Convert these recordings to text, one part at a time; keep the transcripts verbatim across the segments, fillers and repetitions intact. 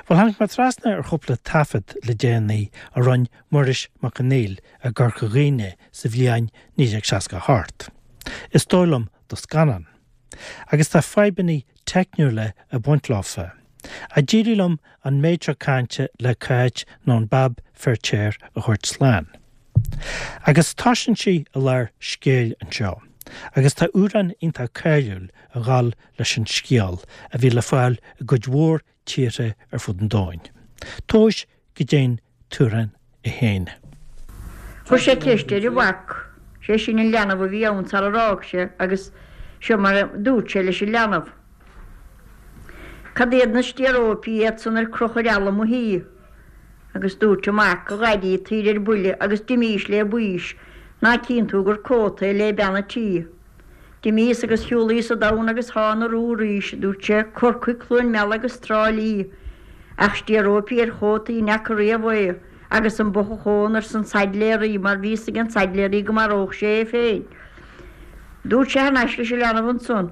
Well tháinig mé trasna ar chúpla taifead le déanaí a rinne Muiris Mac Conghail i gCorca Dhuibhne sa bhliain naoi déag seasca a hocht. Is dóigh liom do scannán. Agus tá fadhbanna teicniúla ag baint leofa. A d'éirigh liom an méid seo cainte le Cáit nó an Bab Feirtéar a thabhairt slán. Agus toisíonn sí i lár scéil anseo. Agus tá amhrán iontach cáiliúil ag gabháil leis an scéal a bhí le fáil i gcuid mhór tíortha ar fud an domhain. Tomhais goidé an t-amhrán é féin. Chuir sé ceist ar a mhac, sé sin an leanbh a bhí ann sar a fhág sé agus seo mar a dúirt sé leis an leanbh. Cad iad na stéaróipí iad san ar crochadh ar fhalla mo thí? Agus dúirt an mac, a dhaidí, tar ar buile agus d'imís le baois, ná cíonn tú gur cóta é le bean a' tí. D'imíos agus shiúlaíos an domhan agus thána arú arís, a dúirt sé, Corcaigh, Cluain Meala agus Trá Lí. Ach stéaróipí ar chótaí n'fheaca riamh é, agus an bochachón arsa an saidléaraí mar bhí fhios ag an saidléaraí go maródh sé é féin. Dúirt sé thar n-ais leis an leanbh ansan,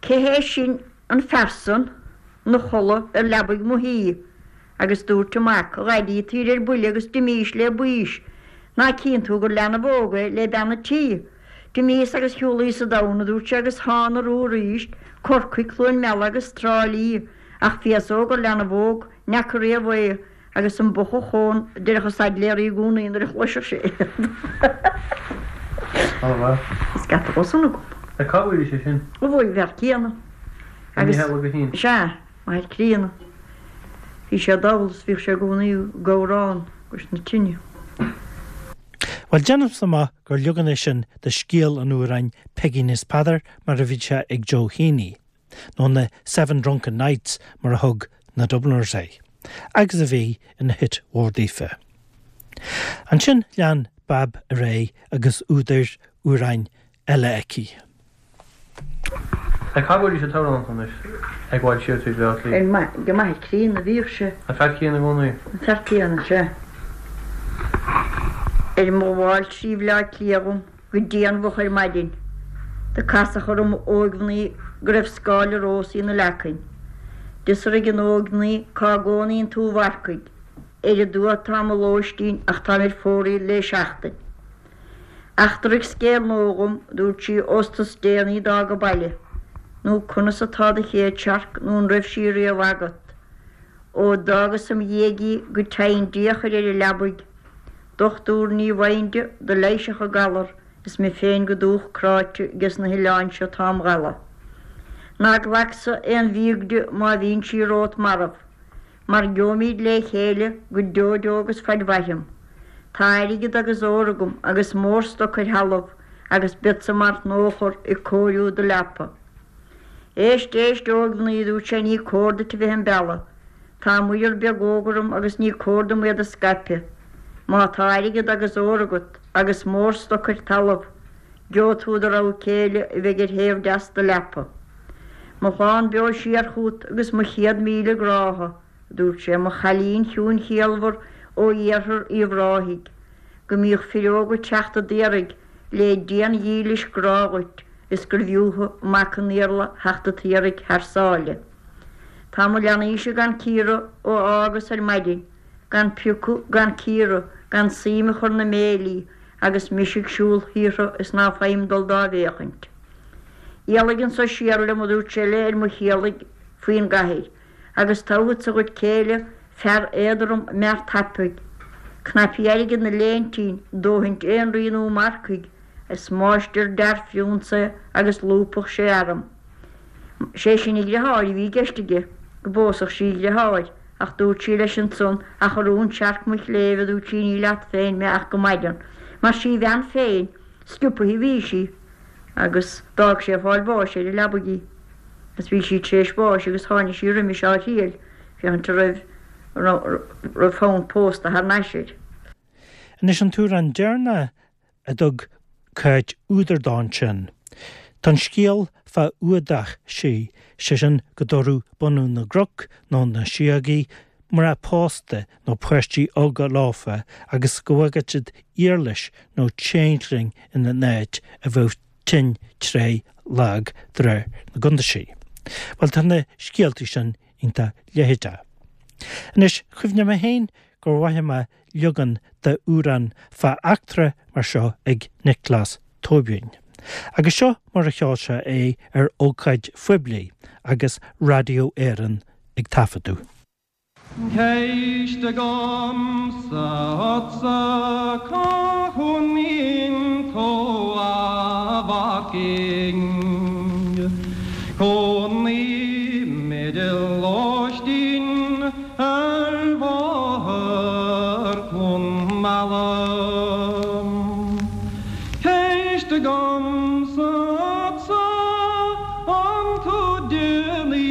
Cé hé sin an fear san 'na chodladh ar leabaidh mo thí? Agus dúirt an mac, A dhaidí, tar ar buile agus d'imís le baois, ná cíonn tú gur leanbh óg é le bean a' tí? D'imíos agus shiúlaíos an domhan, a dúirt sé, agus thána arú arís, Corcaigh, Cluain Meala agus Trá Lí, ach féasóg gur leanbh óg, n'fheaca riamh é, agus an bochachón, a deireadh an saidléaraí i gcónaí nuair a chloiseadh sé iad. Scata dhó san agam. Cá bhfuair sé sin? Ó bhuail an fear céanna. Agus Mícheál Ó Guithín. Sea, m'athair críonna. Bhí sé dall is bhíodh sé i gcónaí ag amhrán cois na tine. Bhuel déanaimse amach gur leagan é sin de scéal an amhráin Peigín is Peadar mar a bhí sé ag Joe Heaney, nó na Seven Drunken Nights mar a thug na Dubliners é, agus a bhí ina hit mhór daofa. Ansin lean Bab ar aghaidh agus údar amhráin eile aici. Cá bhfuair sé an t-amhrán anois ag gabháil siar trí Bhleá Cliath? Go m'athair críonna a bhíodh sé. An fear céanna i gcónaí? An fear céanna, sea. Ar mo ghabháil trí Bhleá Cliath dhom go déanmhach ar maidin, do casadh orm óigmhnaoi go raibh scáile rósaí ina leacain. D'fhiosraigh an óigmhnaoi cá gcónaíonn tú a mharcaigh. Ar an dtuath atá mo lóistín ach táim ar fóraoil le seachtain. Eachtraigh scéal nua dhom, dúirt sí, ós tú is déanaí d'fhág an baile, nó conas atá do chéad searc nó an raibh sí riamh agat. Ó d'fhágas im dhiaidh í go dteigheann Dia a chur ar an leabaidh. Dochtúir ní bhfaighinn di do leighisfeadh an galar is mé féin go dúch cráite 'ges na hoileáin seo atá im dhalladh. Ná glacsa aon mhíog di má bhíonn sí romhat marbh, mar gheobhaimid le chéile go deo deo agus faid mhairim. Tá airgead agus ór agam agus mórstoc ar thalamh agus beadsa mar nóchar ag cóiriú do leapa. Éist, éist, óigmhnaoi, a dúirt sé, ní cóir duit a bheith im bealach. Tá muirear beag óg orm agus ní cóir dom iad a scaipeadh. Má tá airgead agus ór agat agus mórstoc ar talamh, gheobhaidh tú do rogha céile a bheidh ar thaobh deas do leapa. Mo shlán beo siar chugat agus mo chéad míle grádha, a dúirt sé, mo chailín chiúin chiallmhar ó iarthar Uíbh Ráthaigh, go mbíodh fir óga ag teacht a d'iarraidh le dian-dhílis grá dhuit is gur bhfiú mac an Iarla theacht a t'iarraidh thar sáile. Tá mo leanaíse gan cíoradh ó fhágas ar maidin, gan piocadh, gan cíoradh, gan suim a chur 'na mbéilí agus mise ag siúl thíortha is ná faighim dul dá bhféachaint. Éalaigh anso siar liom, a dúirt sé léi, ar mo chéallaigh faoin gcathaoir, agus toghfadsa dhuit céile fear éadrom mear tapaidh, cnaipí airgid 'na léintín, dóthaint aon rí nó marcaigh, is máistir dearg-phriúnsa é agus lúbfadh sé arm. Sé sin a dhriotháir a bhí i gceist aige, go bpósfadh sí a dhriotháir, ach dúirt sí leis ansan, ach a rún searc mo chléibh, a dúirt sí, ní leat féin mé ach go maidean, mar sí bhean féin, sciobtha a bhí sí, agus d'fhág sé ag fáil bháis ar an leabaidh í. Agus bhí sí tar éis bháis agus tháinig sí roimis á thriail, féachaint an raibh, raibh fonn pósta thar n-ais air. Anois an t-amhrán deireanach a dtug Cáit údar dó ansin. Tá an scéal fá fhuadach sí, sé sin go dtabharfadh bunadh na gcnoc nó na síogaí mná pósta nó páistí óga leofa agus go bhfaigheadh siad iarlais nó changeling ina n-áit a bheadh tinn tréith lag de réir na gcuntaisí. Bhuel tá na scéaltaí sin iontach leitheadach. Anois chuimhnigh mé féin gur mhothaigh mé leagan d'amhrán fá eachtra mar seo ag Nioclás Tóibín. Agus seo mar a cheol sé é ar ócáid phoiblí agus Raidió Éireann ag taifeadadh. Ceist agamsa ortsa cá gcónaíonn tú a mhaicín Cónaím i lóistín ar bhóthar Chluain Meala Ceist agamsa ortsa an tú duine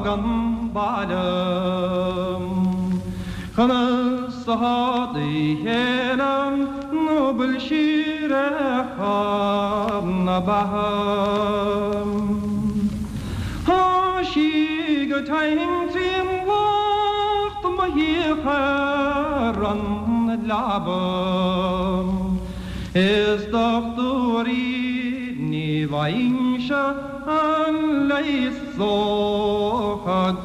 an baile Conas atá do chéile nó bhfuil sí ar na beatha. Tá sí go tinn trín lucht mo híochar an leaba. Is dochtúirí ní bhfaighimse an leigheas ó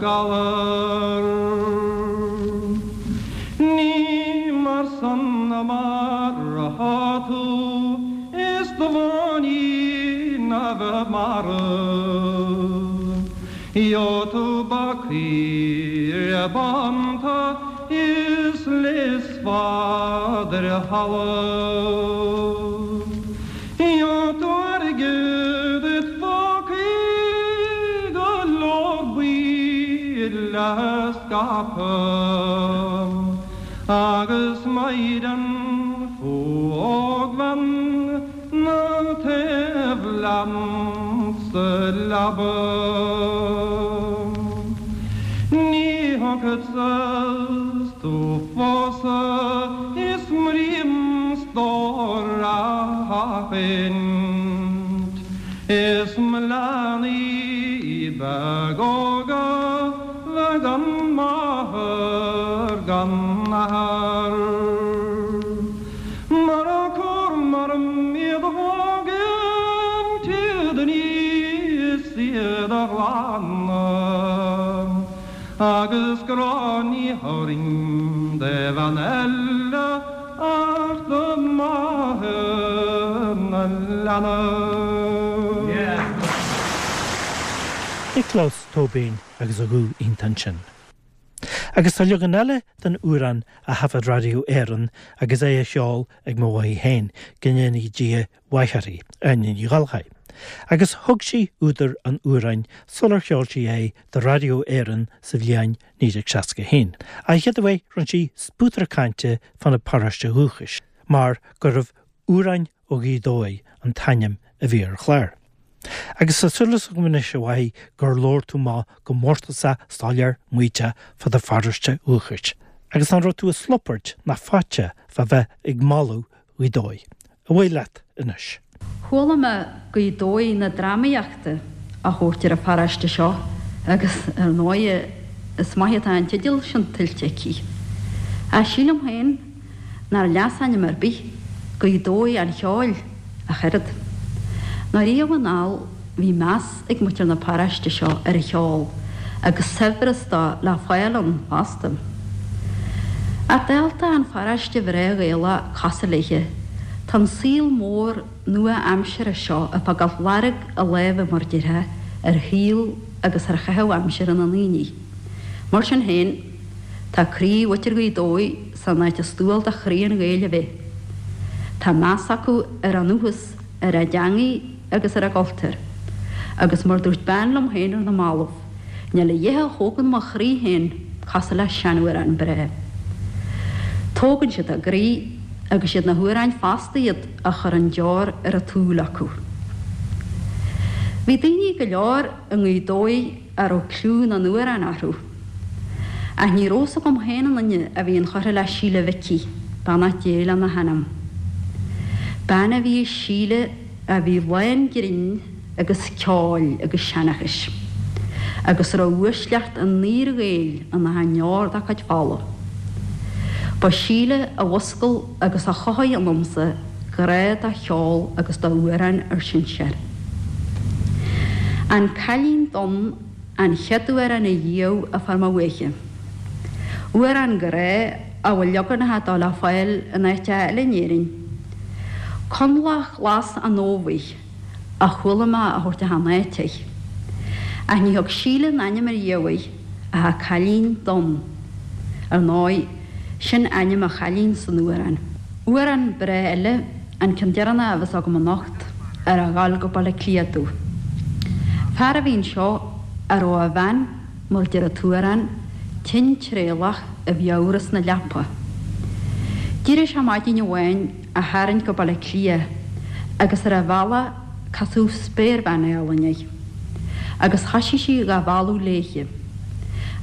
galar. Ní mar san mar atá tú is do bháinín a bheith marbh. Gheobhaidh tú ba caoire bánta is leigheasfad ar thalamh. Gheobhaidh tú airgead id phócaí go leor buí le scaipeadh. Agus maighdean ógbhean na taobh leat sa leaba. Ní thiocfadsa 's tú phósadh is m'rím stór a sheachaint. Is mo leanaí beag óga le gan máthair gan athair. Mar a cóir mar iad a thógaint iad aníos iad a ghlanadh. Agus grá ní thabharfainn do bhean eile ach do mháthair na leanbh. Nioclás Tóibín agus a ghuth iontach ansin. Agus tá leagan eile den amhrán a thaifead Raidió Éireann agus é a cheol ag mo mháthair féin go ndéana Dia mhaith uirthi, Áine Ní Ghallchóir. Agus thug sí údar an amhráin sular cheol sí é do Raidió Éireann sa bhliain naoi déag seasca haon. An chéad uair rinne sí spútar cainte fána paróiste dhúchais, mar gurbh Amhráin ó Ghaoth Dobhair an t-ainm a bhí ar an chlár. Agus tá súil agam anois a mháthair gur labhair tú amach go mórtasach soiléir maíteach fá do pharóiste dhúchais, agus nach raibh tú ag slupairt ná fáite fá bheith ag moladh Ghaoth Dobhair. Away leat anois. Chuala mé Gaoth Dobhair na drámaíochta á thabhairt ar an pharóiste seo agus ar ndóigh is maith atá an teideal sin tuillte aici. Ach sílim féin nár leasainm ar bith Gaoth Dobhair an cheoil ach oiread. Ná riamh anall bhí meas ag muintir na paróiste seo ar an cheol agus saibhreas dó le fáil ann fosta. Ach dálta an pharóiste bhreá Ghaelach cosúil léithe, tá an saol mór nua-aimseartha seo ag fágáil lorg a láimhe mar déarfá ar shaol agus ar chaitheamh aimsire na ndaoine. Mar sin féin, tá croí mhuintir Ghaoth Dobhair san áit is dual do chroí an Ghaeil a bheith. Tá meas acu ar a ndúchas, ar a dteangaidh agus ar a gcultúr. Agus mar dúirt bean liom féin ar na mallaibh, níl a dhath a thógann mo chroí féin cosúil le seanamhrán breá. Tógann siad a gcroí agus iad na hamhráin fosta iad a chuireann deor ar an tsúil acu. Bhí daoine go leor i nGaoth Dobhair a raibh cliú na n-amhrán orthu. Ach ní raibh fhios agam féin an duine a bhí inchurtha le Síle Mhicí, beannacht Dé lena hanam. Bean a bhí i Síle a bhí lán grinn agus ceoil agus seanchais, agus a raibh uaisleacht an fhíor-Ghaeil ina ndeor dá cuid fola. Ba Síle a mhuscail agus a chothaigh ionamsa grá do cheol agus d'amhráin ár sinsear. An Cailín Donn an chéad amhrán a gheobhadh a fuair mo bhuaiche. Amhrán grá a bhfuil leaganacha dó le fáil in áit eile in Éirinn. Conlach Glas an Fhómhair a chuala mé á thabhairt achan áit air. Ach ní thug Síle an ainm ariamh air ach a cailín donn. Ar ndóigh, sin ainm an chailín san amhrán. Amhrán breá eile an ceann deireanach a bheas agam anocht ar a ghabháil go Baile Átha Cliath domh. Fear a bhí anseo a raibh a bhean, mar a deir an t-amhrán, tinn tréallach i bhfiabhras na leapa. D'éirigh sé maidin amháin á tharraingt go Baile Átha Cliath agus ar a bhealach casadh spéirbhean álainn air, agus thoisigh sé dhá mhealladh léithe.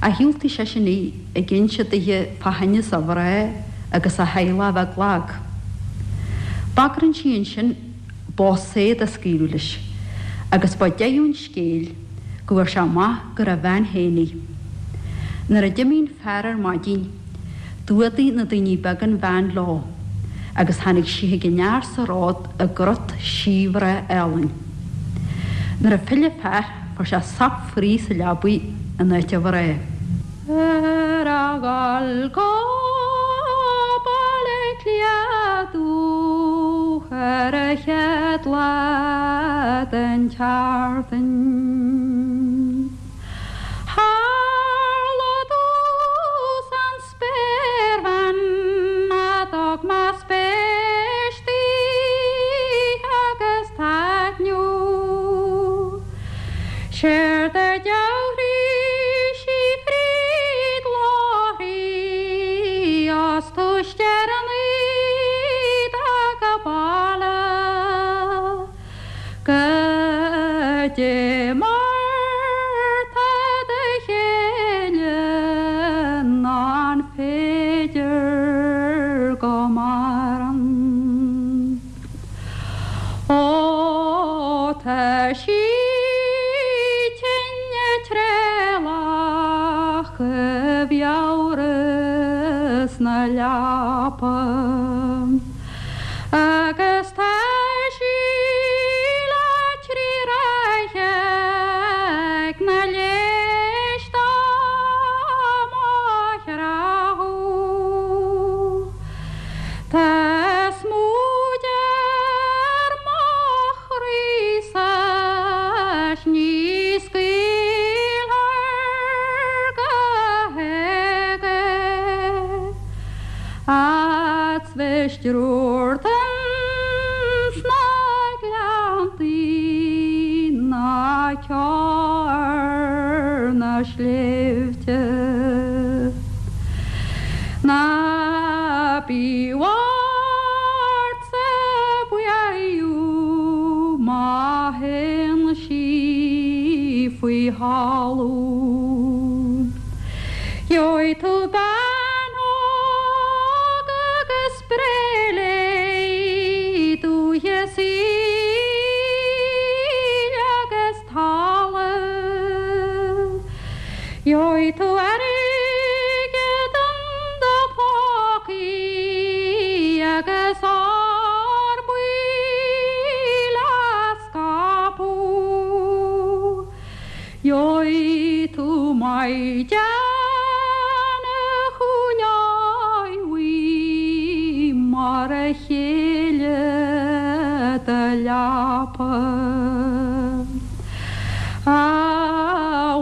Ach dhiúltaigh seisean í ag inse dithe fá thinneas a mhná agus a theaghlach a bheith lag. Bagrann sí ansin bó saor a scaoileadh leis, agus ba deireadh an scéil go bhfuair sé amach gur a bhean féin í. Nuair a d'imigh an fear ar maidin, d'fhuadaigh na daoine beaga an bhean leo, agus tháinig sí chuig an fhear sa ród i gcrot síbhreá álainn. Nuair a phill an fear, fuair sé sop fraoigh sa leabaidh in áit a mhná. Ar a ghabháil go Baile Átha Cliath domh ar an chéad lá den tseachtain. Tharla domhsa an spéirbhean a dtug mé spéis di agus taitneamh. Séard a dhealraigh sí fríd láithrí as túis deireanaí go baile Goidé mar tá do chéile nó an féidir go maireann. Ó tá sí tinn tréallach i bhfiabhras na leapa. Agus tá sí le trí ráithe ag na léis dá mo chreathadh. Tá smúid ar mo chroí-sa 's ní scaoilfear go héag é. Fhad 's bheas triúr ins na gleanntaí ná ceo ar na sléibhte. Ná bí ort-sa buaidh má théann sí faoi thalamh. Gheobhaidh tú bean óg agus spré léi dúiche saoil agus talamh. Gheobhaidh tú airgead in do phócaí agus ór buí le scaipeadh. Gheobhaidh tú maighdean a chúileoidh mar a chéile do leapa. A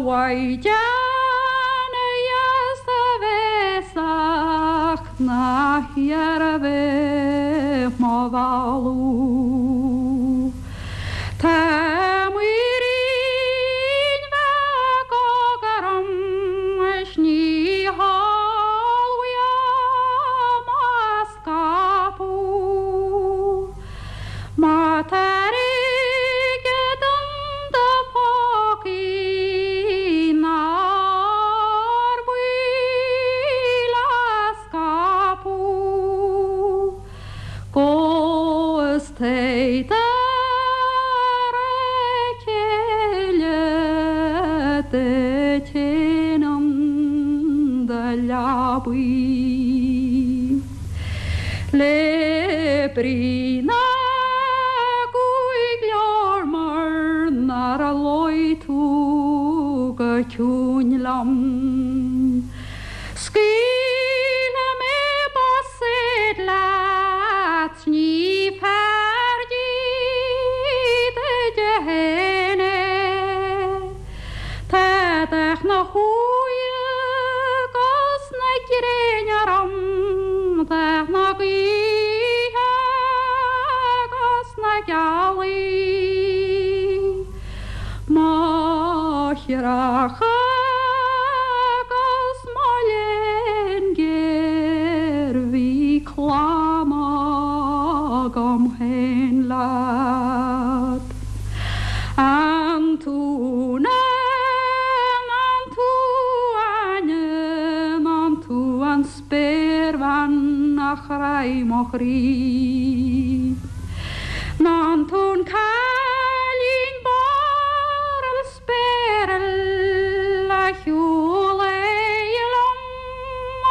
mhaighdean dheas bhéasach ná hiarr a bheith mo mhealladh. Tá muirín bheag óg orm is ní heol uaim á scaipeadh. Má tá airgead in do phócaí ná ór buí le scaipeadh. Gabh is téigh dar a chéile duit féin in do leabaidh. Le brí na gcúig leabhar mar nár luigh tú go ciúin liom. Scaoilfidh mé bosaid leat ní fearr duit féin é. Tá dath na hóige 'gus na gréine orm, dath na gaoithe 'gus na gealaí. Máithreacha 'gus mo léan géar bhí clann agam féin leat. An tú an tú Áine an tú an spéirbhean a chráigh mo chroí. An tú an cailín barrall spéireall a shiúlaigh liom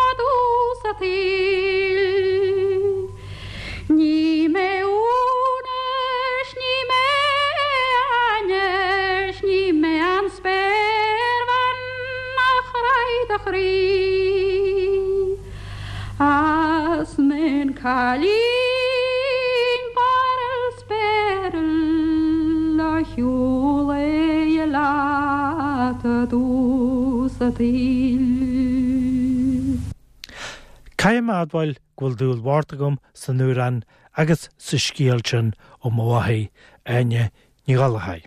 i dtús an tsaoil. Ní mé Úna 's ní mé Áine 's ní mé an spéirbhean a chráigh do chroí. Is mé an cailín barrall spéireall a shiúlaigh leat i dtús an tsaoil. Caithfidh mé a admháil go bhfuil dúil mhór agam san amhrán agus sa scéal sin ó mo mháthair Áine Ní Ghallchóir.